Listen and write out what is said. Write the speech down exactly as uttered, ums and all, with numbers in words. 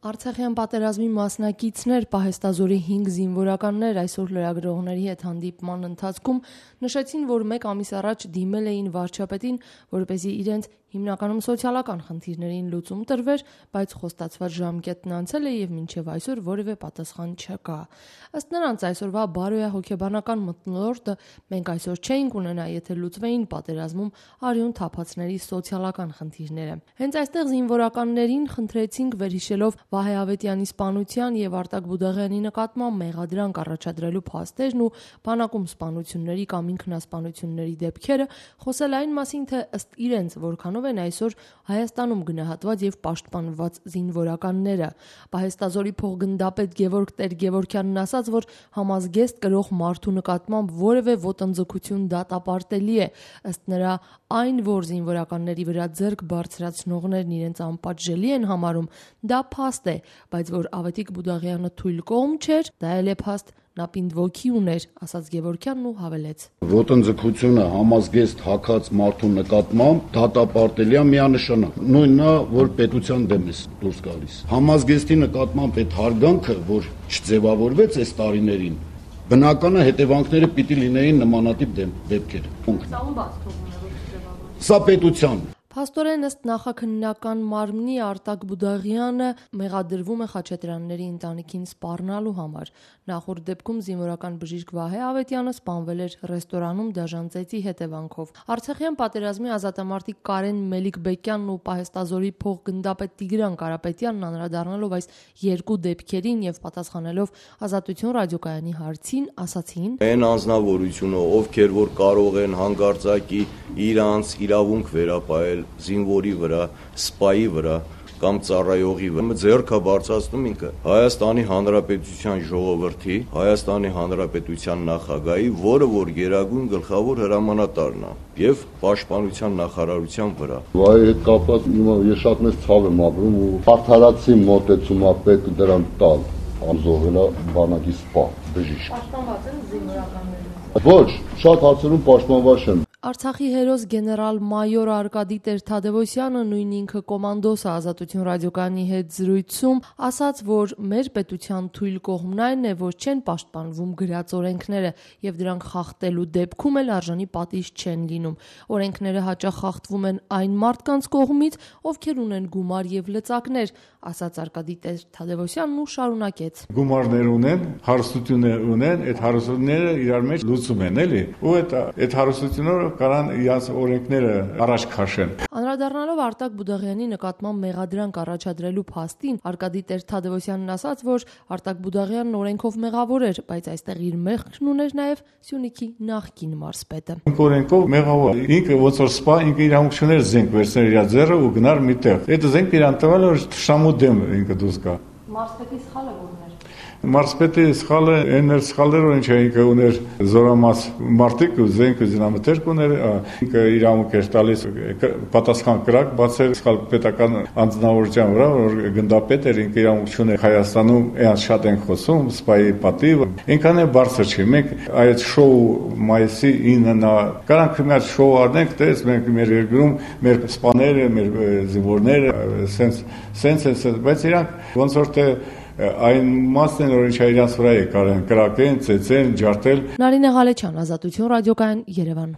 Արցախյան պատերազմի մասնակիցներ, պահեստազորի հինգ զինվորականներ այսօր լրագրողների հետ հանդիպման ընթացքում նշեցին, որ մեկ ամիս առաջ դիմել էին վարչապետին, որպեսզի իրենց հիմնականում սոցիալական խնդիրներին լուծում տրվեր, բայց խոստացված ժամկետն անցել է եւ մինչեւ այսօր որևէ պատասխան չկա։ Ըստ նրանց այսօրվա բարոյահոգեբանական մթնոլորտը մենք այսօր չէինք ունենա, եթե լուծվեին պատերազմում արյուն թափածների սոցիալական խնդիրները։ Հենց այստեղ զինվորականներին խնդրեցինք վերհիշելով Վահե Ավետյանի սպանության եւ Արտակ Բուդաղյանի նկատմամբ մեղադրանք առաջադրելու փաստերն ու բանակում սպանությունների կամ ինքնասպանությունների դեպքերը, խոսել այն մասին, թե ըստ իրենց որքանով են այսօր Հայաստանում գնահատված եւ պաշտպանված զինվորականները։ Պահեստազորի փոխգնդապետ Գևորգ Տեր-Գևորգյանն ասաց, որ համազգեստ կրող մարդու նկատմամբ որևէ ոտնձգություն դատապարտելի է։ Ըստ նրա, այն, որ զինվորականների վրա ձեռք բարձրացնողներն իրենց անպատժելի են համարում, դա փաստ է, բայց որ Ավետիք Բուդաղյանը թույլ կողմ չէր, դա էլ է փաստ, նա պինդ ոգի ուներ, ասաց Գևորգյանն ու հավելեց. Ոտնձգությունը համազգեստ հագած մարդու նկատմամբ դատապարտելի է միանշանակ։ Նույնն է, որ պետության դեմ է դուրս գալիս։ Համազգեստի նկատմամբ այդ հարգանքը, որ չձևավորվեց այս տարիներին, բնականը հետևանքները պիտի լինեին նմանատիպ դեպքեր։ Սա ում բաց թողում է, որ չձևավորվի։ Սա պետության։ Փաստորեն ըստ նախաքննական մարմնի Արտակ Բուդաղյանը մեղադրվում է Խաչատրյանների ընտանիքին սպառնալու համար։ Նախորդ դեպքում զինվորական բժիշկ Վահե Ավետյանը սպանվել էր ռեստորանում դաժան ծեծի հետևանքով։ Արցախյան պատերազմի ազատամարտիկ Կարեն Մելիք-Բեկյանն ու պահեստազորի փոխգնդապետ Տիգրան Կարապետյանն անդրադառնալով այս երկու դեպքերին եւ պատասխանելով Ազատություն ռադիոկայանի հարցին, ասացին. Այն անձնավորությունը, ովքեր որ կարող են հանկարծակի իրանց իրավունք վերապահել զինվորի վրա, սպայի վրա կամ ծառայողի վրա, ձեռքը բարձրացնում ինքը Հայաստանի Հանրապետության ժողովրդի, Հայաստանի Հանրապետության նախագահի, որը որ գերագույն գլխավոր հրամանատարն է եւ պաշտպանության նախարարության վրա։ Վայ հետ կապված ես շատ մեծ ցավ եմ ապրում ու արդարացի մոտեցում է պետք դրան տալ, անզոհելա բանակի սպա, բժիշկ։ Պաշտպանված են զինվորականները։ Ոչ, շատ հարցերում պաշտպանված են։ Արցախի հերոս գեներալ-մայոր Արկադի Տեր-Թադևոսյանը, նույն ինքը կոմանդոսը Ազատություն ռադիոկայանի հետ զրույցում ասաց, որ մեր պետության թույլ կողմն այն է, որ չեն պաշտպանվում գրած օրենքները եւ դրանք խախտելու դեպքում էլ արժանի պատիժ չեն լինում։ Օրենքները հաճախ խախտվում են այն մարդկանց կողմից, ովքեր ունեն գումար եւ լծակներ, ասաց Արկադի Տեր-Թադևոսյանն ու շարունակեց. Գումարներ ունեն, հարստություններ ունեն, այդ հարստությունները իրար մեջ լուծում են, էլի։ Ու այդ այդ հարստությունները կարան իրաց օրենքները առաջ քաշեն։ Անդրադառնալով Արտակ Բուդաղյանի նկատմամբ մեղադրանք առաջադրելու փաստին, Արկադի Տեր-Թադևոսյանն ասաց, որ Արտակ Բուդաղյանն օրենքով մեղավոր էր, բայց այստեղ իր մեղքն ուներ նաև Սյունիքի նախկին մարզպետը։ Օրենքով մեղավոր ինքը ոնց որ սպա, ինքը իրավունք չուներ զենք վերցնել իր ձեռը ու գնար միտեղ։ Այդ զենքը իրան տվել որ շամու դեմ ինքը դուրս գա։ Մարզպետի սխալը ո՞րն էր։ Մարզպետի սխալը այն էր սխալները, ինչ ինքը ուներ զորամաս մարտիկ ու զենք ու զինամթերք ուներ, ինքը իրավունք էր տալիս պատասխան կրակ բացել սխալ պետական անձնավորության վրա, որ գնդապետ էր, ինքը իրավունք չուներ Հայաստանում, այն շատ են խոսում, սպայի պատիվ, ինքան է բարձր չի։ Մենք այդ շոու մայիսի ինը կարանք մի հատ շոու արնենք, տես մենք մեր երկրում մեր սպաները, մեր զինվորները, սենց սենց բայց իրանք ոնց որ թե այն մասն են, որ ինչ իրաց վրա է կարեն կրակեն, ծեծեն, ջարդել։ Նարինե Ղալեչյան, Ազատություն ռադիոկայան, Երևան։